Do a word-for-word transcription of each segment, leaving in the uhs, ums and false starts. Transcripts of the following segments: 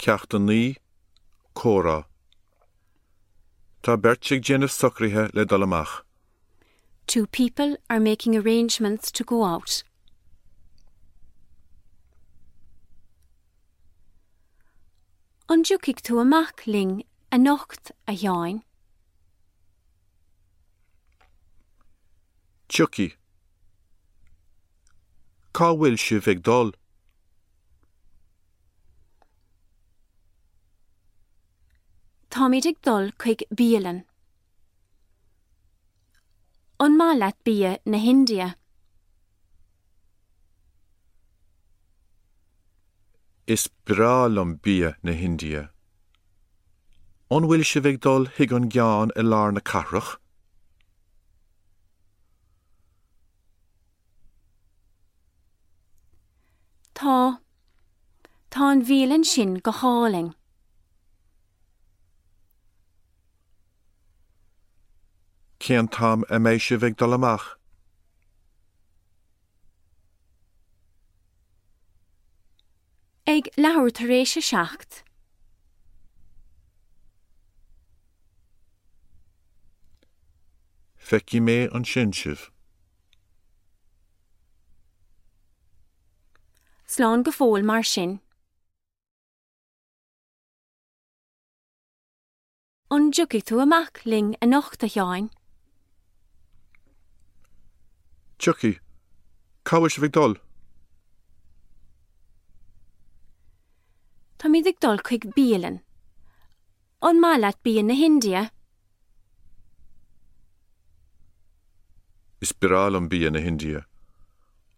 Ceacht a naoi, Comhrá. Tá beirt ag déanamh socruithe le dul amach. Two people are making arrangements to go out. An dtiocfaidh tú amach linn anocht, a Sheáin? Tiocfaidh. Cá bhfuil sibh ag dul? Táimid ag dul chuig bialann. An maith leat bia na hIndia? Is breá liom bia na hIndia. An bhfuil sibh ag dul chuig an gceann i lár na cathrach? Tá. Tá an bhialann sin go hálainn. Cén t-am a mbeidh sibh ag dul amach? Ag leathuair tar éis a seacht. Feicfidh mé ansin sibh. Slán go fóill mar sin. An dtiocfaidh tú amach linn anocht, a Sheáin? Tiocfaidh. Cá bhfuil sibh ag dul? Táimid ag dul chuig bialann. An maith leat bia na hIndia? Is breá liom bia na hIndia.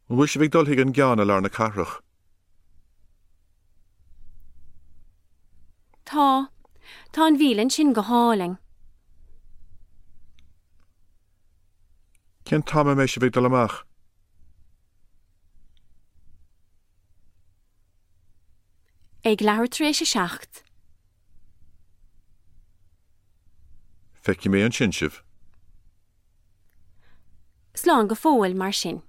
An bhfuil sibh ag dul chuig an gceann i lár na cathrach? Tá. Tá an bhialann sin go hálainn. Cén t-am a mbeidh sibh ag dul amach? Ag leathuair tar éis a seacht. Feicfidh mé ansin sibh. Slán go fóill mar sin.